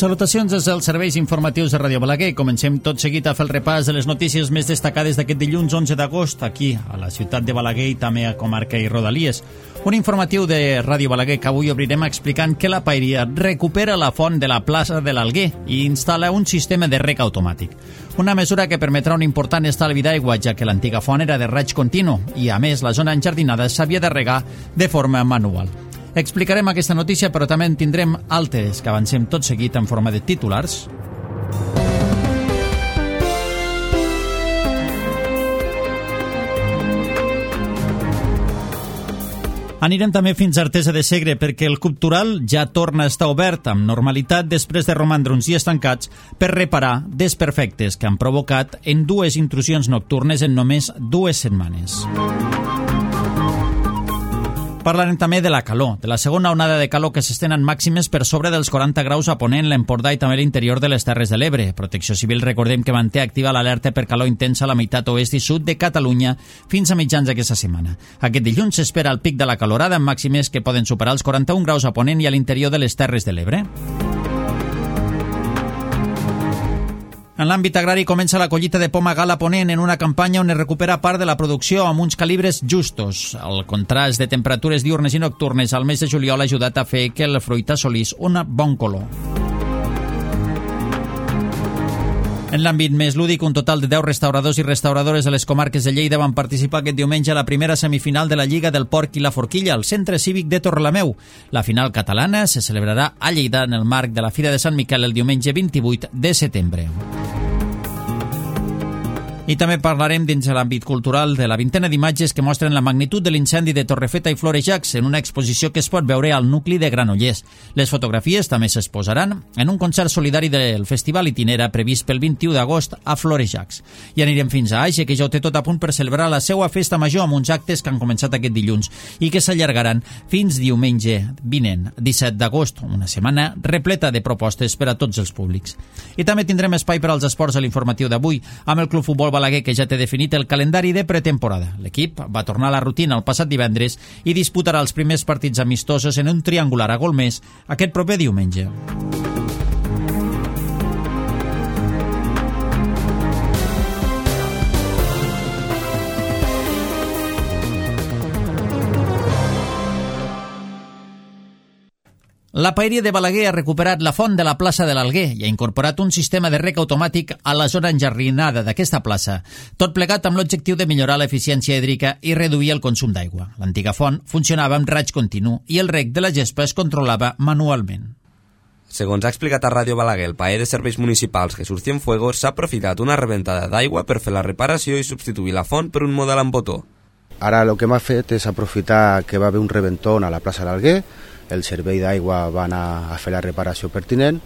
Salutacions des dels serveis informatius de Ràdio Balaguer. Comencem tot seguit a fer el repàs de les notícies més destacades d'aquest dilluns 11 d'agost, aquí, a la ciutat de Balaguer i també a comarca i rodalies. Un informatiu de Ràdio Balaguer que avui obrirem explicant que la Paeria recupera la font de la plaça de l'Alguer i instal·la un sistema de rec automàtic. Una mesura que permetrà un important estalvi d'aigua, ja que l'antiga font era de raig continu i, a més, la zona enjardinada s'havia de regar de forma manual. Explicarem aquesta notícia, però també en tindrem altres que avancem tot seguit en forma de titulars. Anirem també fins a Artesa de Segre perquè el Cultural ja torna a estar obert amb normalitat després de romandre uns dies tancats per reparar desperfectes que han provocat en 2 intrusions nocturnes en només 2 setmanes. Parlarem també de la calor, de la segona onada de calor que s'estén en màximes per sobre dels 40 graus a Ponent, l'Empordà i també l'interior de les Terres de l'Ebre. Protecció Civil, recordem que manté activa l'alerta per calor intensa a la meitat oest i sud de Catalunya fins a mitjans d'aquesta setmana. Aquest dilluns s'espera el pic de la calorada amb màximes que poden superar els 41 graus a Ponent i a l'interior de les Terres de l'Ebre. En l'àmbit agrari comença la collita de poma gal a Ponent en una campanya on es recupera part de la producció amb uns calibres justos. El contrast de temperatures diurnes i nocturnes al mes de juliol ha ajudat a fer que el fruit assolís un bon color. En l'àmbit més lúdic, un total de 10 restauradors i restauradores de les comarques de Lleida van participar aquest diumenge a la primera semifinal de la Lliga del Porc i la Forquilla al Centre Cívic de Torrelameu. La final catalana se celebrarà a Lleida en el marc de la Fira de Sant Miquel el diumenge 28 de setembre. I també parlarem dins de l'àmbit cultural de la vintena d'imatges que mostren la magnitud de l'incendi de Torrefeta i Florejacs en una exposició que es pot veure al nucli de Granollers. Les fotografies també s'exposaran en un concert solidari del Festival Itinera previst pel 21 d'agost a Florejacs. I anirem fins a Aixe, que ja ho té tot a punt per celebrar la seva festa major amb uns actes que han començat aquest dilluns i que s'allargaran fins diumenge vinent, 17 d'agost, una setmana repleta de propostes per a tots els públics. I també tindrem espai per als esports a l'informatiu d'avui amb el Club Futbol Balaguer, que ja té definit el calendari de pretemporada. L'equip va tornar a la rutina el passat divendres i disputarà els primers partits amistosos en un triangular a Golmés aquest proper diumenge. La Paeria de Balaguer ha recuperat la font de la plaça de l'Alguer i ha incorporat un sistema de rec automàtic a la zona enjardinada d'aquesta plaça, tot plegat amb l'objectiu de millorar l'eficiència hídrica i reduir el consum d'aigua. L'antiga font funcionava amb raig continu i el rec de la gespa es controlava manualment. Segons ha explicat a Ràdio Balaguer, el paer de serveis municipals Jesús Cienfuegos s'ha aprofitat una rebentada d'aigua per fer la reparació i substituir la font per un model amb botó. Ara el que m'ha fet és aprofitar que va haver un rebentón a la plaça de l'Alguer, el servei d'aigua va anar a fer la reparació pertinent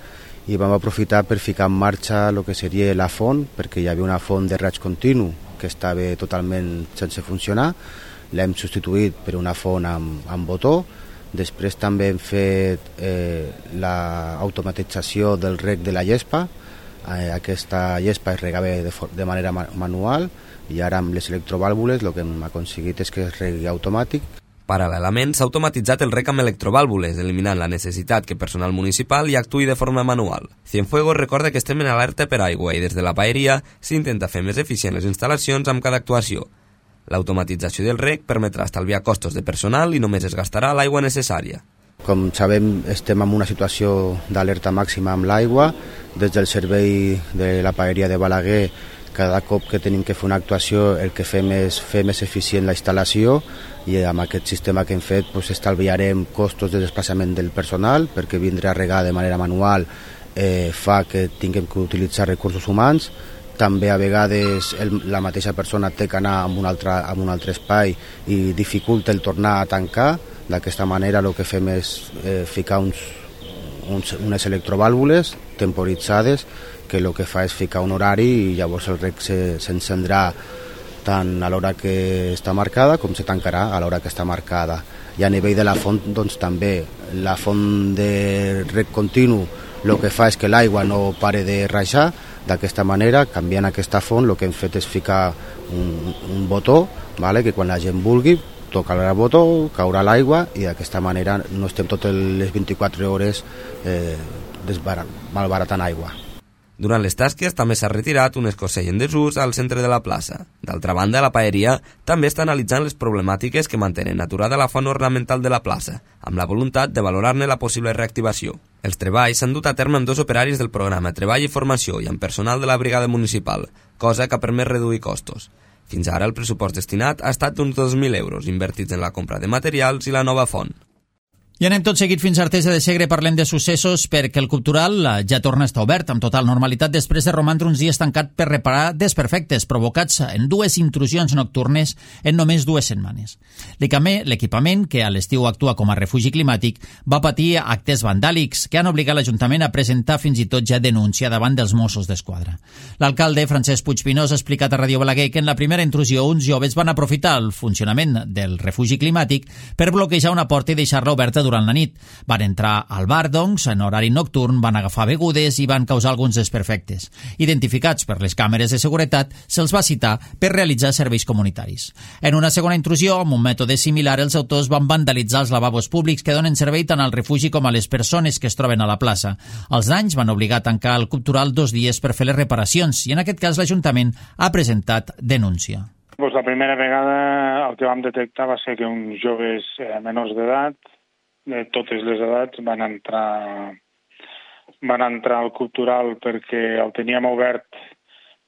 i vam aprofitar per ficar en marxa el que seria la font, perquè hi havia una font de raig continu que estava totalment sense funcionar, l'hem substituït per una font amb botó. Després també hem fet l'automatització del reg de la gespa. Aquesta gespa es regava de manera manual i ara amb les electrovàlvules el que hem aconseguit és que es regui automàtic. Paral·lelament, s'ha automatitzat el rec amb electrovàlvules, eliminant la necessitat que personal municipal hi actuï de forma manual. Cienfuegos recorda que estem en alerta per aigua i des de la paeria s'intenta fer més eficient les instal·lacions amb cada actuació. L'automatització del rec permetrà estalviar costos de personal i només es gastarà l'aigua necessària. Com sabem, estem en una situació d'alerta màxima amb l'aigua. Des del servei de la paeria de Balaguer, cada cop que tenim que fer una actuació el que fem és fer més eficient la instal·lació i amb aquest sistema que hem fet estalviarem costos de desplaçament del personal perquè vindre a regar de manera manual fa que tinguem que utilitzar recursos humans. També a vegades la mateixa persona té que anar a un altre espai i dificulta el tornar a tancar. D'aquesta manera el que fem és ficar unes electrovàlvules temporitzades que el que fa és ficar un horari i llavors el rec s'encendrà tant a l'hora que està marcada com se tancarà a l'hora que està marcada. I a nivell de la font, doncs també la font de rec continu el que fa és que l'aigua no pare de rajar. D'aquesta manera, canviant aquesta font, el que hem fet és ficar un botó, que quan la gent vulgui tocarà el botó, caurà l'aigua i d'aquesta manera no estem totes les 24 hores malbaratant aigua. Durant les tasques també s'ha retirat un escorsell en desús al centre de la plaça. D'altra banda, la paeria també està analitzant les problemàtiques que mantenen aturada la font ornamental de la plaça, amb la voluntat de valorar-ne la possible reactivació. Els treballs s'han dut a terme amb 2 operaris del programa Treball i Formació i amb personal de la brigada municipal, cosa que ha permès reduir costos. Fins ara el pressupost destinat ha estat d'uns 2.000 euros invertits en la compra de materials i la nova font. I anem tot seguit fins a Artesa de Segre, parlem de successos perquè el Cultural ja torna a estar obert amb total normalitat després de romandre uns dies tancat per reparar desperfectes provocats en 2 intrusions nocturnes en només 2 setmanes. L'equipament, que a l'estiu actua com a refugi climàtic, va patir actes vandàlics que han obligat l'Ajuntament a presentar fins i tot ja denúncia davant dels Mossos d'Esquadra. L'alcalde, Francesc Puigpinós, ha explicat a Radio Balaguer que en la primera intrusió uns joves van aprofitar el funcionament del refugi climàtic per bloquejar una porta i deixar-la oberta durant la nit. Van entrar al bar, doncs, en horari nocturn, van agafar begudes i van causar alguns desperfectes. Identificats per les càmeres de seguretat, se'ls va citar per realitzar serveis comunitaris. En una segona intrusió, amb un mètode similar, els autors van vandalitzar els lavabos públics que donen servei tant al refugi com a les persones que es troben a la plaça. Els danys van obligar a tancar el Cultural 2 dies per fer les reparacions i en aquest cas l'Ajuntament ha presentat denúncia. Pues la primera vegada el que vam detectar va ser que uns joves menors d'edat, de totes les edats, van entrar al Cultural perquè el teníem obert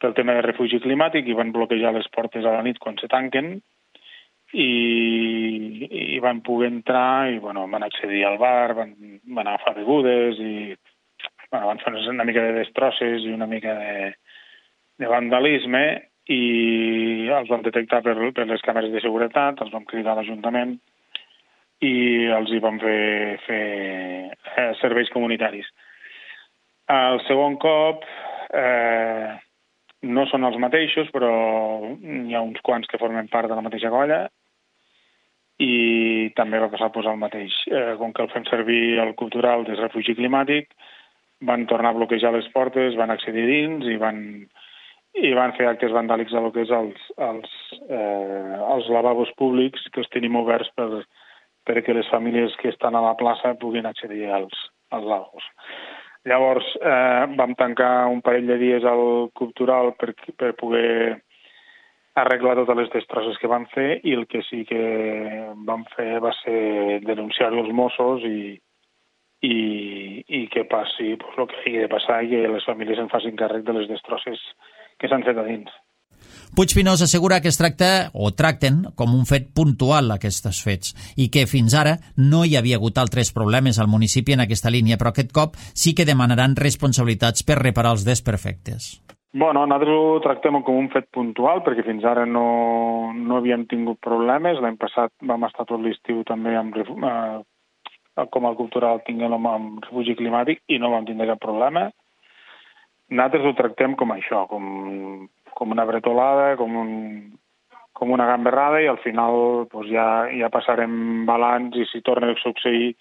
pel tema de refugi climàtic i van bloquejar les portes a la nit quan se tanquen i van poder entrar i van accedir al bar, van agafar begudes i van fer una mica de destrosses i una mica de vandalisme i els vam detectar per les càmeres de seguretat, els vam cridar a l'Ajuntament i els hi van fer serveis comunitaris. El segon cop no són els mateixos, però hi ha uns quants que formen part de la mateixa colla i també va passar el mateix. Com que el fem servir el Cultural de refugi climàtic, van tornar a bloquejar les portes, van accedir dins i van fer actes vandàlics a lo que és els lavabos públics que els tenim oberts perquè les famílies que estan a la plaça puguin accedir als lavabos. Llavors vam tancar un parell de dies al Cultural per poder arreglar totes les destrosses que van fer i el que sí que vam fer va ser denunciar-ho als Mossos i que passi el que hagi de passar i que les famílies en facin càrrec de les destrosses que s'han fet a dins. Puigpinós assegura que es tracta o tracten com un fet puntual aquests fets i que fins ara no hi havia hagut altres problemes al municipi en aquesta línia, però aquest cop sí que demanaran responsabilitats per reparar els desperfectes. Nosaltres ho tractem com un fet puntual perquè fins ara no havíem tingut problemes. L'any passat vam estar tot l'estiu també com el Cultural tinguem amb refugi climàtic i no vam tindre cap problema. Nosaltres ho tractem com això, com una bretolada, com una gamberrada i al final ja passarem balanç i si torna a succeir,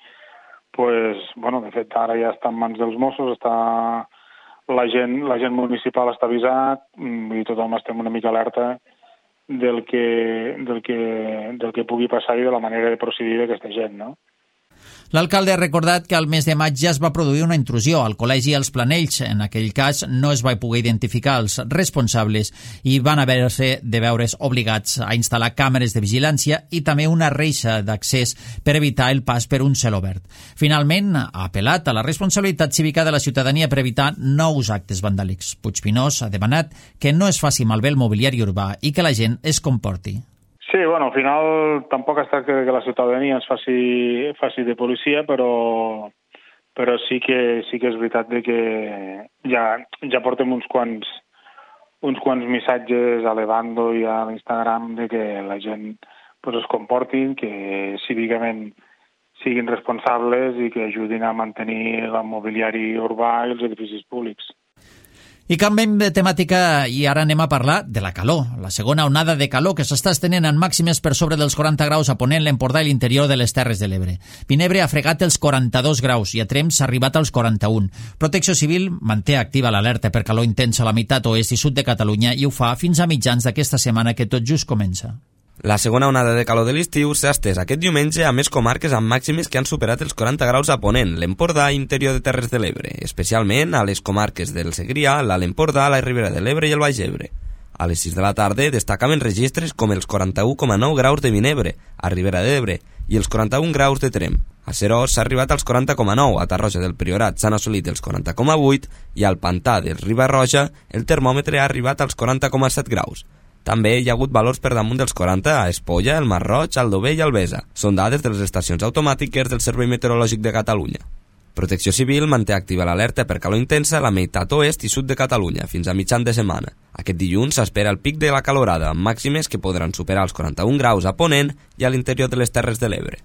de fet ara ja està en mans dels Mossos, la gent municipal està avisat i tothom estem una mica alerta del que pugui passar i de la manera de procedir d'aquesta gent, no? L'alcalde ha recordat que al mes de maig ja es va produir una intrusió al Col·legi Els Planells. En aquell cas no es va poder identificar els responsables i van haver-se de veure's obligats a instal·lar càmeres de vigilància i també una reixa d'accés per evitar el pas per un celobert. Finalment, ha apel·lat a la responsabilitat cívica de la ciutadania per evitar nous actes vandàlics. Puigpinós ha demanat que no es faci malbé el mobiliari urbà i que la gent es comporti. Sí, al final tampoc es tracta que la ciutadania es faci de policia, però sí que és veritat que ja portem uns quants missatges a l'Evando i a l'Instagram de que la gent es comportin, que cívicament siguin responsables i que ajudin a mantenir el mobiliari urbà i els edificis públics. I canviem de temàtica i ara anem a parlar de la calor. La segona onada de calor que s'està estenent en màximes per sobre dels 40 graus a Ponent, l'Empordà i l'interior de les Terres de l'Ebre. Vinebre ha fregat els 42 graus i a Tremp s'ha arribat als 41. Protecció Civil manté activa l'alerta per calor intensa a la meitat oest i sud de Catalunya i ho fa fins a mitjans d'aquesta setmana que tot just comença. La segona onada de calor de l'estiu s'ha estès aquest diumenge a més comarques amb màximes que han superat els 40 graus a Ponent, l'Empordà i interior de Terres de l'Ebre, especialment a les comarques del Segrià, l'Alt Empordà, la Ribera de l'Ebre i el Baix Ebre. A les 6 de la tarda destacaven registres com els 41,9 graus de Vinebre, a Ribera d'Ebre, i els 41 graus de Tremp. A Seròs s'ha arribat als 40,9, a Tarroja del Priorat s'han assolit els 40,8 i al Pantà del Riba-roja el termòmetre ha arribat als 40,7 graus. També hi ha hagut valors per damunt dels 40 a Espolla, el Masroig, Aldover i Albesa. Són dades de les estacions automàtiques del Servei Meteorològic de Catalunya. Protecció Civil manté activa l'alerta per calor intensa a la meitat oest i sud de Catalunya fins a mitjan de setmana. Aquest dilluns s'espera el pic de la calorada, amb màximes que podran superar els 41 graus a Ponent i a l'interior de les Terres de l'Ebre.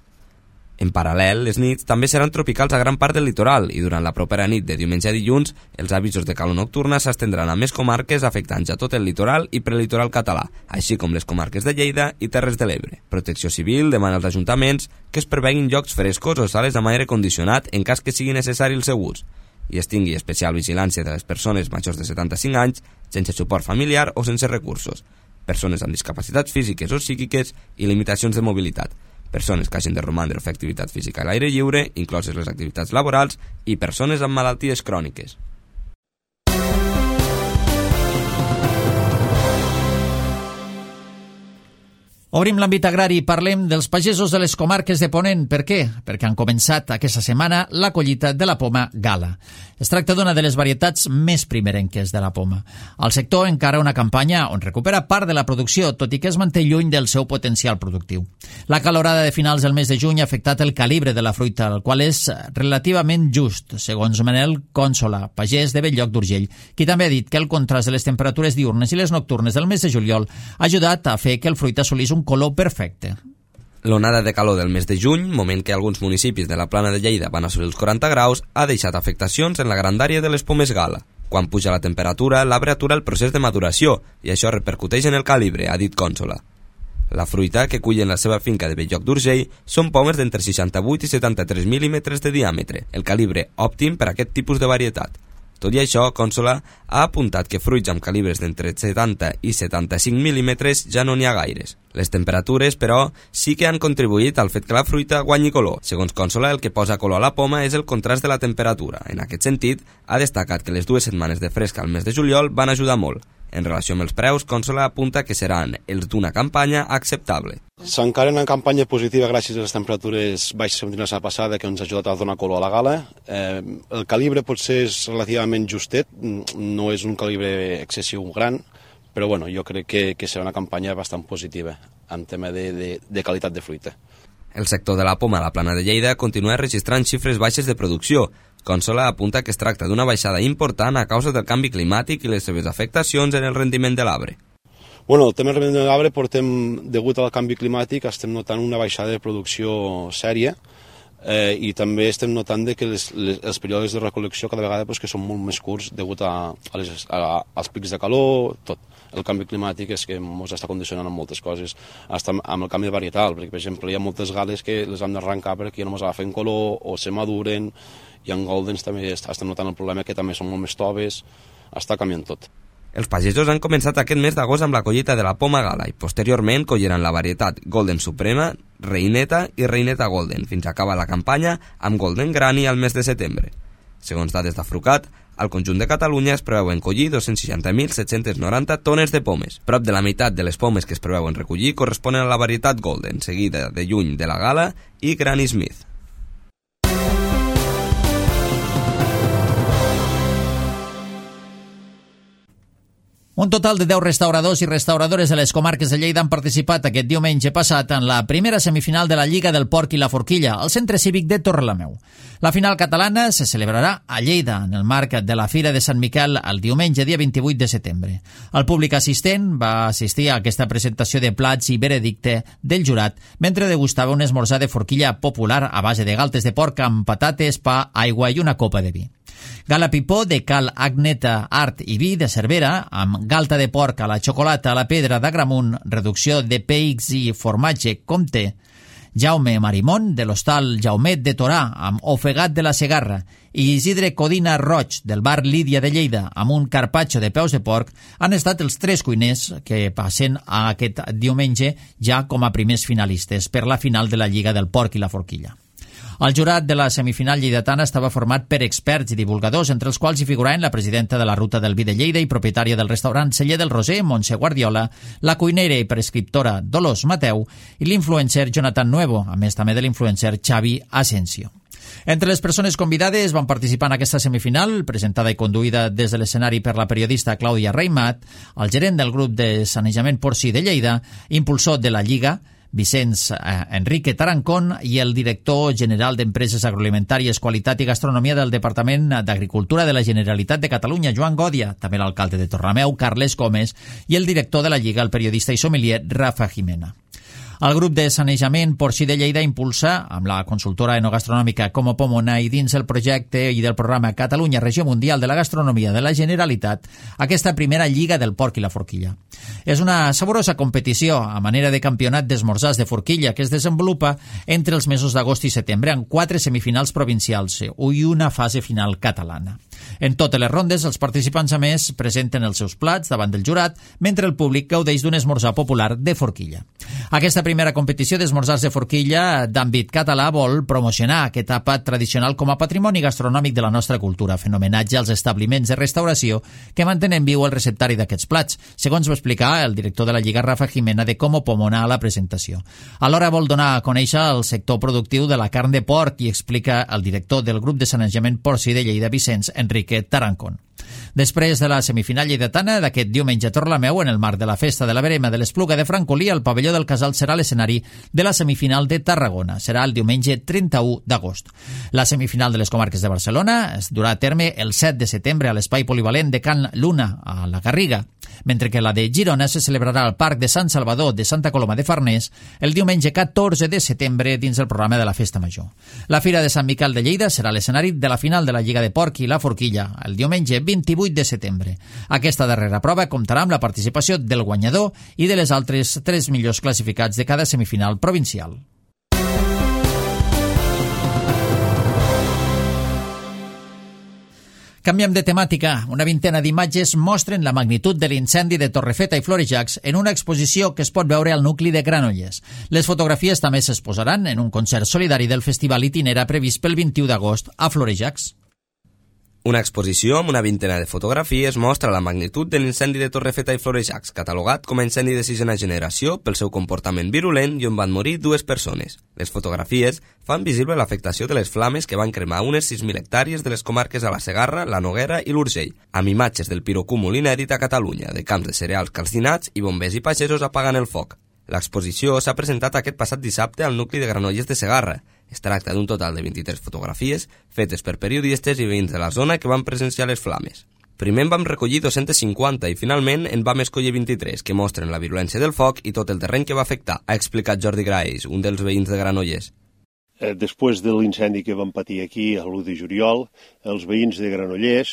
En paral·lel, les nits també seran tropicals a gran part del litoral i durant la propera nit de diumenge a dilluns els avisos de calor nocturna s'estendran a més comarques afectant ja tot el litoral i prelitoral català, així com les comarques de Lleida i Terres de l'Ebre. Protecció Civil demana als ajuntaments que es preveguin llocs frescos o sales amb aire condicionat en cas que sigui necessari el seu ús i es tingui especial vigilància de les persones majors de 75 anys, sense suport familiar o sense recursos, persones amb discapacitats físiques o psíquiques i limitacions de mobilitat, persones que hagin de romandre o fer activitat física a l'aire lliure, incloses les activitats laborals, i persones amb malalties cròniques. Obrim l'àmbit agrari i parlem dels pagesos de les comarques de Ponent. Per què? Perquè han començat aquesta setmana la collita de la poma Gala. Es tracta d'una de les varietats més primerenques de la poma. El sector encara una campanya on recupera part de la producció, tot i que es manté lluny del seu potencial productiu. La calorada de finals del mes de juny ha afectat el calibre de la fruita, el qual és relativament just, segons Manel Cònsola, pagès de Belllloc d'Urgell, qui també ha dit que el contrast de les temperatures diurnes i les nocturnes del mes de juliol ha ajudat a fer que el fruit assolís un color perfecte. L'onada de calor del mes de juny, moment que alguns municipis de la Plana de Lleida van assolir els 40 graus, ha deixat afectacions en la grandària de les pomes Gala. Quan puja la temperatura, l'arbre atura el procés de maduració i això repercuteix en el calibre, ha dit Cònsola. La fruita que cull en la seva finca de Belllloc d'Urgell són pomes d'entre 68 i 73 mil·límetres de diàmetre, el calibre òptim per a aquest tipus de varietat. Tot i això, Cònsola ha apuntat que fruits amb calibres d'entre 70 i 75 mil·límetres ja no n'hi ha gaires. Les temperatures, però, sí que han contribuït al fet que la fruita guanyi color. Segons Cònsola, el que posa color a la poma és el contrast de la temperatura. En aquest sentit, ha destacat que les 2 setmanes de fresca al mes de juliol van ajudar molt. En relació amb els preus, Cònsola apunta que seran els d'una campanya acceptable. S'encara una campanya positiva gràcies a les temperatures baixes que vam tenir la setmana passada, que ens ha ajudat a donar color a la Gala. El calibre potser és relativament justet, no és un calibre excessiu gran, però bueno, jo crec que serà una campanya bastant positiva en tema de qualitat de fruita. El sector de la poma a la Plana de Lleida continua registrant xifres baixes de producció. Cònsola apunta que es tracta d'una baixada important a causa del canvi climàtic i les seves afectacions en el rendiment de l'arbre. Bueno, el tema del rendiment de l'arbre degut al canvi climàtic, estem notant una baixada de producció sèria i també estem notant que els períodes de recol·lecció cada vegada que són molt més curts degut als pics de calor, tot. El canvi climàtic és que ens està condicionant amb moltes coses, amb el canvi varietal, perquè per exemple hi ha moltes gales que les hem d'arrencar perquè ja no ens agafen color o se maduren, i en Goldens també estem notant el problema que també són molt més toves, està canviant tot. Els pagesos han començat aquest mes d'agost amb la collita de la poma Gala i posteriorment colliran la varietat Golden Suprema, Reineta i Reineta Golden, fins a acabar la campanya amb Golden Granny al mes de setembre. Segons dades d'Afrucat, al conjunt de Catalunya es preveuen collir 260.790 tones de pomes. Prop de la meitat de les pomes que es preveuen recollir corresponen a la varietat Golden, seguida de lluny de la Gala i Granny Smith. Un total de 10 restauradors i restauradores de les comarques de Lleida han participat aquest diumenge passat en la primera semifinal de la Lliga del Porc i la Forquilla, al Centre Cívic de Torrelameu. La final catalana se celebrarà a Lleida, en el marc de la Fira de Sant Miquel, el diumenge, dia 28 de setembre. El públic assistent va assistir a aquesta presentació de plats i veredicte del jurat mentre degustava un esmorzar de forquilla popular a base de galtes de porc amb patates, pa, aigua i una copa de vi. Gala Pipó de Cal Agneta Art i Vi de Cervera, amb galta de porc a la xocolata a la pedra d'Agramunt, reducció de peix i formatge Comte, Jaume Marimón, de l'hostal Jaumet de Torà, amb ofegat de la Segarra, i Isidre Codina Roig, del bar Lídia de Lleida, amb un carpaccio de peus de porc, han estat els 3 cuiners que passen aquest diumenge ja com a primers finalistes per la final de la Lliga del Porc i la Forquilla. El jurat de la semifinal lleidatana estava format per experts i divulgadors, entre els quals hi figuraven la presidenta de la Ruta del Vi de Lleida i propietària del restaurant Celler del Roser, Montse Guardiola, la cuinera i prescriptora Dolors Mateu i l'influencer Jonathan Nuevo, a més també de l'influencer Xavi Asensio. Entre les persones convidades van participar en aquesta semifinal, presentada i conduïda des de l'escenari per la periodista Clàudia Reimat, el gerent del grup de sanejament porcí de Lleida, impulsor de la Lliga, Vicenç Enrique Tarancón, i el director general d'Empreses Agroalimentàries, Qualitat i Gastronomia del Departament d'Agricultura de la Generalitat de Catalunya, Joan Gòdia, també l'alcalde de Torrelameu, Carles Gómez, i el director de la Lliga, el periodista i sommelier Rafa Jimena. El grup de sanejament porcí de Lleida impulsa, amb la consultora enogastronòmica Como Pomona i dins el projecte i del programa Catalunya Regió Mundial de la Gastronomia de la Generalitat, aquesta primera Lliga del Porc i la Forquilla. És una saborosa competició a manera de campionat d'esmorzars de forquilla que es desenvolupa entre els mesos d'agost i setembre amb 4 semifinals provincials i una fase final catalana. En totes les rondes, els participants a més presenten els seus plats davant del jurat, mentre el públic gaudeix d'un esmorzar popular de forquilla. Aquesta primera competició d'esmorzars de forquilla d'àmbit català vol promocionar aquest àpat tradicional com a patrimoni gastronòmic de la nostra cultura, fent homenatge als establiments de restauració que mantenen viu el receptari d'aquests plats, segons va explicar el director de la Lliga Rafa Jimena de Como Pomona a la presentació. Alhora vol donar a conèixer el sector productiu de la carn de porc i explica el director del grup de sanejament porcí de Lleida, Vicenç Enrique Tarancón. Després de la semifinal lleidatana d'aquest diumenge a Torrelameu, en el marc de la festa de la Verema de l'Espluga de Francolí, el pavelló del Casal serà l'escenari de la semifinal de Tarragona. Serà el diumenge 31 d'agost. La semifinal de les comarques de Barcelona es durà a terme el 7 de setembre a l'espai polivalent de Can Luna, a la Garriga, mentre que la de Girona se celebrarà al Parc de Sant Salvador de Santa Coloma de Farners el diumenge 14 de setembre dins el programa de la Festa Major. La Fira de Sant Miquel de Lleida serà l'escenari de la final de la Lliga de Porc i la Forquilla, el diumenge 28 de setembre. Aquesta darrera prova comptarà amb la participació del guanyador i de les altres 3 millors classificats de cada semifinal provincial. Canviem de temàtica. Una vintena d'imatges mostren la magnitud de l'incendi de Torrefeta i Florejacs en una exposició que es pot veure al nucli de Granollers. Les fotografies també s'exposaran en un concert solidari del Festival Itinera previst pel 21 d'agost a Florejacs. Una exposició amb una vintena de fotografies mostra la magnitud de l'incendi de Torrefeta i Florejacs, catalogat com a incendi de 6a generació pel seu comportament virulent i on van morir 2 persones. Les fotografies fan visible l'afectació de les flames que van cremar unes 6.000 hectàrees de les comarques a la Segarra, la Noguera i l'Urgell, amb imatges del pirocúmul inèdit a Catalunya, de camps de cereals calcinats i bombers i pagesos apagant el foc. L'exposició s'ha presentat aquest passat dissabte al nucli de Granollers de Segarra. Es tracta d'un total de 23 fotografies fetes per periodistes i veïns de la zona que van presenciar les flames. Primer en vam recollir 250 i finalment en vam escollir 23 que mostren la virulència del foc i tot el terreny que va afectar, ha explicat Jordi Graells, un dels veïns de Granollers. Després de l'incendi que vam patir aquí a l'1 de juliol, els veïns de Granollers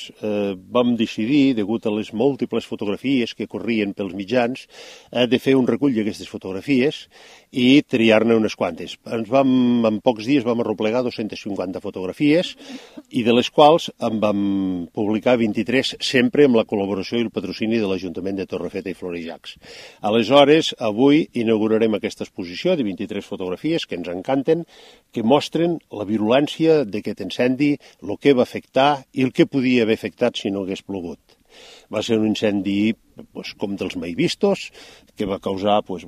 vam decidir, degut a les múltiples fotografies que corrien pels mitjans, de fer un recull d'aquestes fotografies i triar-ne unes quantes. En pocs dies vam arreplegar 250 fotografies i de les quals en vam publicar 23 sempre amb la col·laboració i el patrocini de l'Ajuntament de Torrefeta i Florejacs. Aleshores, avui inaugurarem aquesta exposició de 23 fotografies que ens encanten, que mostren la virulència d'aquest incendi, el que va afectar i el que podia haver afectat si no hagués plogut. Va ser un incendi com dels mai vistos, que va causar 2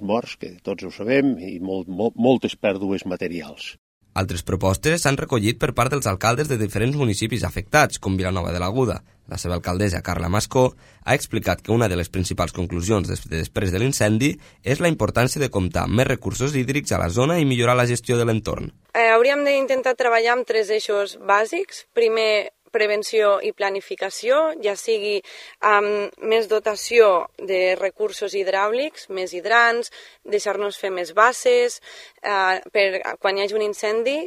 morts, que tots ho sabem, i moltes pèrdues materials. Altres propostes s'han recollit per part dels alcaldes de diferents municipis afectats, com Vilanova de l'Aguda. La seva alcaldessa, Carla Mascó, ha explicat que una de les principals conclusions després de l'incendi és la importància de comptar amb més recursos hídrics a la zona i millorar la gestió de l'entorn. Hauríem d'intentar treballar amb 3 eixos bàsics. Primer, prevenció i planificació, ja sigui amb més dotació de recursos hidràulics, més hidrants, deixar-nos fer més basses, per quan hi hagi un incendi,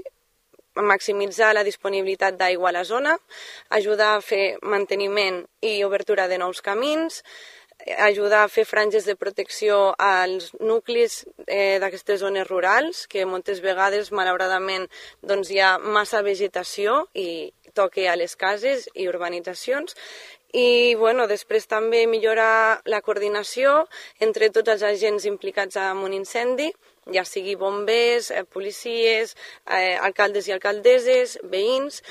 maximitzar la disponibilitat d'aigua a la zona, ajudar a fer manteniment i obertura de nous camins, ajudar a fer franges de protecció als nuclis d'aquestes zones rurals, que moltes vegades, malauradament, doncs, hi ha massa vegetació i toque a les cases i urbanitzacions. I després també millorar la coordinació entre tots els agents implicats en un incendi, ja sigui bombers, policies, alcaldes i alcaldesses, veïns,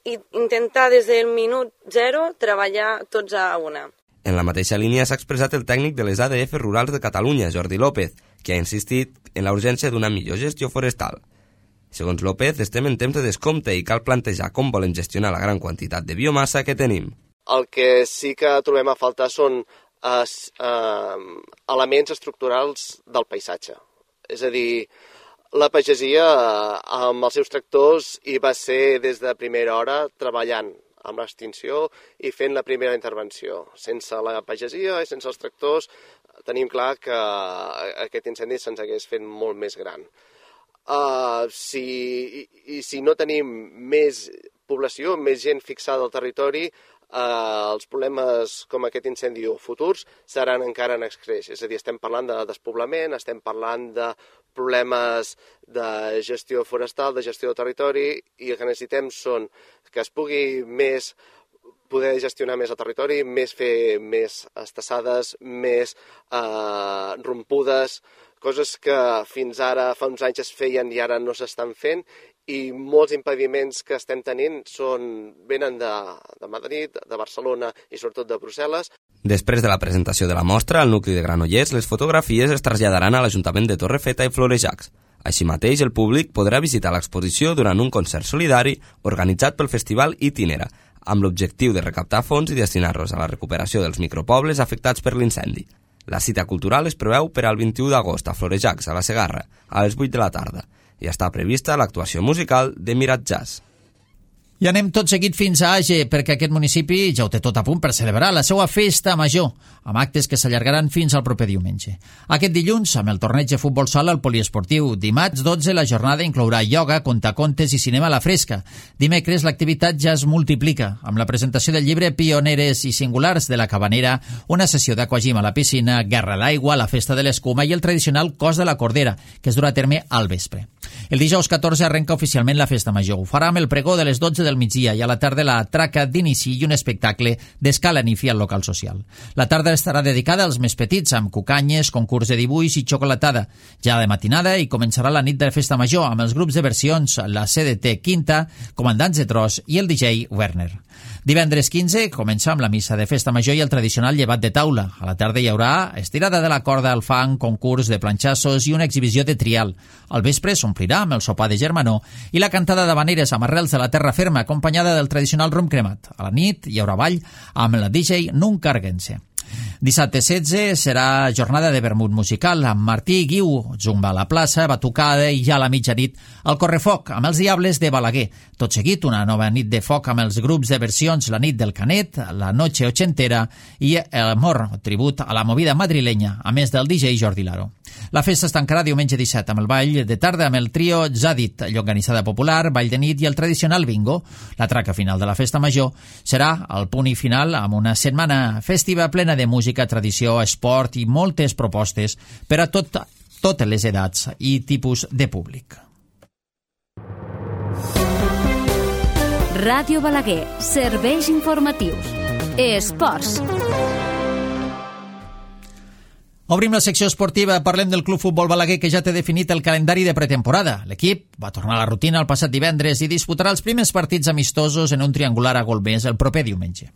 i intentar des del minut zero treballar tots a una. En la mateixa línia s'ha expressat el tècnic de les ADF Rurals de Catalunya, Jordi López, que ha insistit en la urgència d'una millor gestió forestal. Segons López, estem en temps de descompte i cal plantejar com volem gestionar la gran quantitat de biomassa que tenim. El que sí que trobem a faltar són elements estructurals del paisatge. És a dir, la pagesia amb els seus tractors hi va ser des de primera hora treballant amb l'extinció i fent la primera intervenció. Sense la pagesia i sense els tractors tenim clar que aquest incendi se'ns hagués fet molt més gran. Si no tenim més població, més gent fixada al territori, els problemes com aquest incendi o futurs seran encara en excreix. És a dir, estem parlant de despoblament, estem parlant de problemes de gestió forestal, de gestió del territori, i el que necessitem són que es pugui poder gestionar més el territori, fer més estassades, més rompudes, coses que fins ara fa uns anys es feien i ara no s'estan fent, i molts impediments que estem tenint venen de Madrid, de Barcelona i sobretot de Brussel·les. Després de la presentació de la mostra al nucli de Granollers, les fotografies es traslladaran a l'Ajuntament de Torrefeta i Florejacs. Així mateix, el públic podrà visitar l'exposició durant un concert solidari organitzat pel Festival Itinera, amb l'objectiu de recaptar fons i destinar-los a la recuperació dels micropobles afectats per l'incendi. La cita cultural es preveu per al 21 d'agost a Florejacs, a la Segarra, a les 8 de la tarda. I està prevista l'actuació musical de Mirat Jazz. I anem tot seguit fins a Age, perquè aquest municipi ja ho té tot a punt per celebrar la seva festa major, amb actes que s'allargaran fins al proper diumenge. Aquest dilluns, amb el torneig de futbol sala al poliesportiu. Dimarts 12, la jornada inclourà ioga, contacontes i cinema a la fresca. Dimecres, l'activitat ja es multiplica, amb la presentació del llibre Pioneres i Singulars de la Cabanera, una sessió d'aquagim a la piscina, guerra a l'aigua, la festa de l'escuma i el tradicional cos de la cordera, que es durà a terme al vespre. El dijous 14 arrenca oficialment la festa major. Ho farà amb el pregó de les 12 del migdia i a la tarda la traca d'inici i un espectacle d'escala nifi al local social. La tarda estarà dedicada als més petits, amb cucanyes, concurs de dibuix i xocolatada. Ja de matinada i començarà la nit de festa major amb els grups de versions, la CDT Quinta, Comandants de Tros i el DJ Werner. Divendres 15 comença amb la missa de festa major i el tradicional llevat de taula. A la tarda hi haurà estirada de la corda al fang, concurs de planxassos i una exhibició de trial. Al vespre s'omplirà amb el sopar de germanor i la cantada d'habaneres amb arrels de la terra ferma acompanyada del tradicional rom cremat. A la nit hi haurà ball amb la DJ Nuncarguense. Dissabte 16 serà jornada de vermut musical amb Martí i Guiu, zumba a la plaça, batucada i ja a la mitjanit el correfoc amb els Diables de Balaguer. Tot seguit una nova nit de foc amb els grups de versions La nit del Canet, La noche ochentera i El amor, tribut a la movida madrilenya, a més del DJ Jordi Laro. La festa es tancarà diumenge 17 amb el ball de tarda amb el trio Zadit, llonganissada popular, ball de nit i el tradicional bingo. La traca final de la festa major serà el punt i final amb una setmana festiva plena de música, tradició, esport i moltes propostes per a totes les edats i tipus de públic. Ràdio Balaguer, serveis informatius. Esports. Obrim la secció esportiva, parlem del Club Futbol Balaguer que ja té definit el calendari de pretemporada. L'equip va tornar a la rutina el passat divendres i disputarà els primers partits amistosos en un triangular a Golmés el proper diumenge.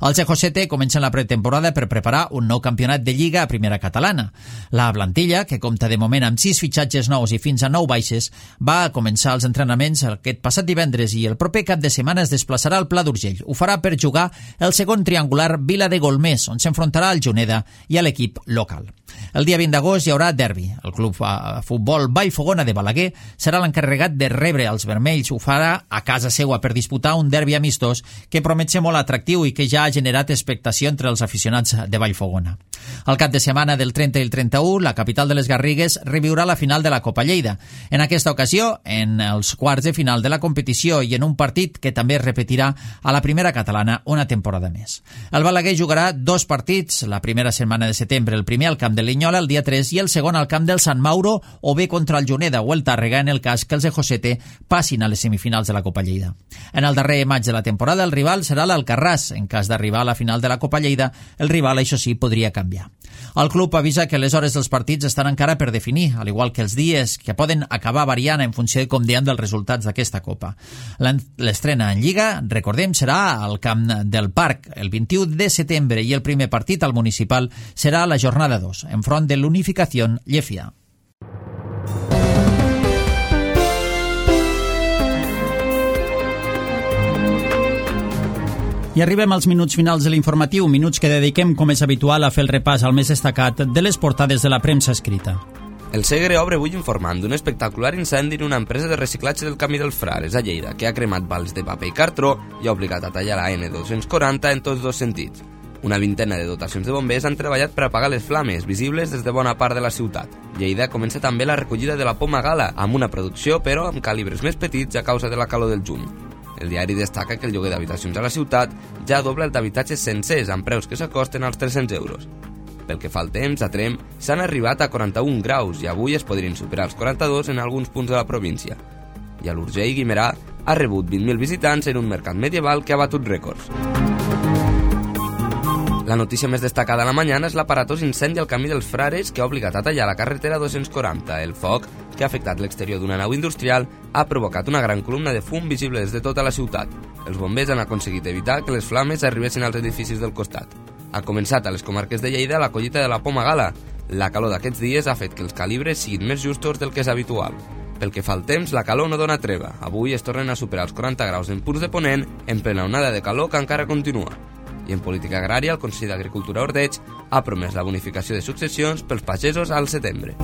Els Ecosete comencen la pretemporada per preparar un nou campionat de Lliga a Primera Catalana. La plantilla, que compta de moment amb 6 fitxatges nous i fins a 9 baixes, va començar els entrenaments aquest passat divendres i el proper cap de setmana es desplaçarà al Pla d'Urgell. Ho farà per jugar el segon triangular Vila de Golmés, on s'enfrontarà al Juneda i a l'equip local. El dia 20 d'agost hi haurà derbi. El Club Futbol Vallfogona de Balaguer serà l'encarregat encarregat de rebre els vermells ho farà a casa seua per disputar un derbi amistós que promet ser molt atractiu i que ja ha generat expectació entre els aficionats de Vallfogona. Al cap de setmana del 30 i el 31, la capital de les Garrigues reviurà la final de la Copa Lleida. En aquesta ocasió, en els quarts de final de la competició i en un partit que també es repetirà a la primera catalana una temporada més. El Balaguer jugarà 2 partits la primera setmana de setembre, el primer al camp de Linyola el dia 3 i el segon al camp del Sant Mauro o bé contra el Juneda o el Tàrrega en el cas que els de Josete passin a les semifinals de la Copa Lleida. En el darrer maig de la temporada el rival serà l'Alcarràs. En cas d'arribar a la final de la Copa Lleida, el rival, això sí, podria canviar. El club avisa que les hores dels partits estan encara per definir, al igual que els dies, que poden acabar variant en funció de com dian dels resultats d'aquesta Copa. L'estrena en Lliga, recordem, serà al camp del Parc el 21 de setembre i el primer partit al municipal serà a la jornada 2, enfront de l'Unificació Llefià. I arribem als minuts finals de l'informatiu, minuts que dediquem, com és habitual, a fer el repàs al més destacat de les portades de la premsa escrita. El Segre obre avui informant d'un espectacular incendi en una empresa de reciclatge del Camí dels Frares, a Lleida, que ha cremat vals de paper i cartró i ha obligat a tallar la N240 en tots dos sentits. Una vintena de dotacions de bombers han treballat per apagar les flames, visibles des de bona part de la ciutat. Lleida comença també la recollida de la poma gala, amb una producció, però amb calibres més petits a causa de la calor del juny. El diari destaca que el lloguer d'habitacions a la ciutat ja dobla el d'habitatges sencers, amb preus que s'acosten als 300 euros. Pel que fa al temps, a Tremp s'han arribat a 41 graus i avui es podrien superar els 42 en alguns punts de la província. I a l'Urgell, Guimerà ha rebut 20.000 visitants en un mercat medieval que ha batut rècords. La notícia més destacada a la mañana és l'aparatós incendi al Camí dels Frares que ha obligat a tallar la carretera 240. El foc, que ha afectat l'exterior d'una nau industrial, ha provocat una gran columna de fum visible des de tota la ciutat. Els bombers han aconseguit evitar que les flames arribessin als edificis del costat. Ha començat a les comarques de Lleida la collita de la poma gala. La calor d'aquests dies ha fet que els calibres siguin més justos del que és habitual. Pel que fa al temps, la calor no dona treva. Avui es tornen a superar els 40 graus en punts de Ponent, en plena onada de calor que encara continua. I en política agrària, el Consell d'Agricultura Ordeig ha promès la bonificació de successions pels pagesos al setembre.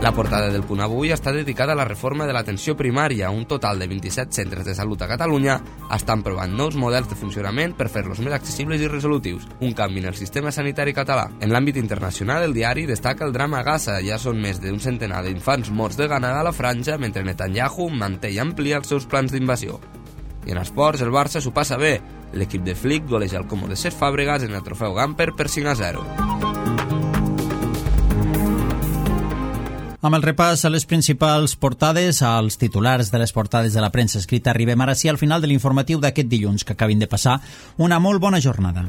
La portada del Punt Avui està dedicada a la reforma de l'atenció primària. Un total de 27 centres de salut a Catalunya estan provant nous models de funcionament per fer-los més accessibles i resolutius, un canvi en el sistema sanitari català. En l'àmbit internacional, el diari destaca el drama a Gaza. Ja són més d'un centenar d'infants morts de gana a la franja, mentre Netanyahu manté i amplia els seus plans d'invasió. I en esports, el Barça s'ho passa bé. L'equip de Flick goleja el Comú de Cesc Fàbregas en el trofeu Gamper per 5-0. Amb el repàs a les principals portades, als titulars de les portades de la premsa escrita, arribem ara sí al final de l'informatiu d'aquest dilluns, que acabin de passar una molt bona jornada.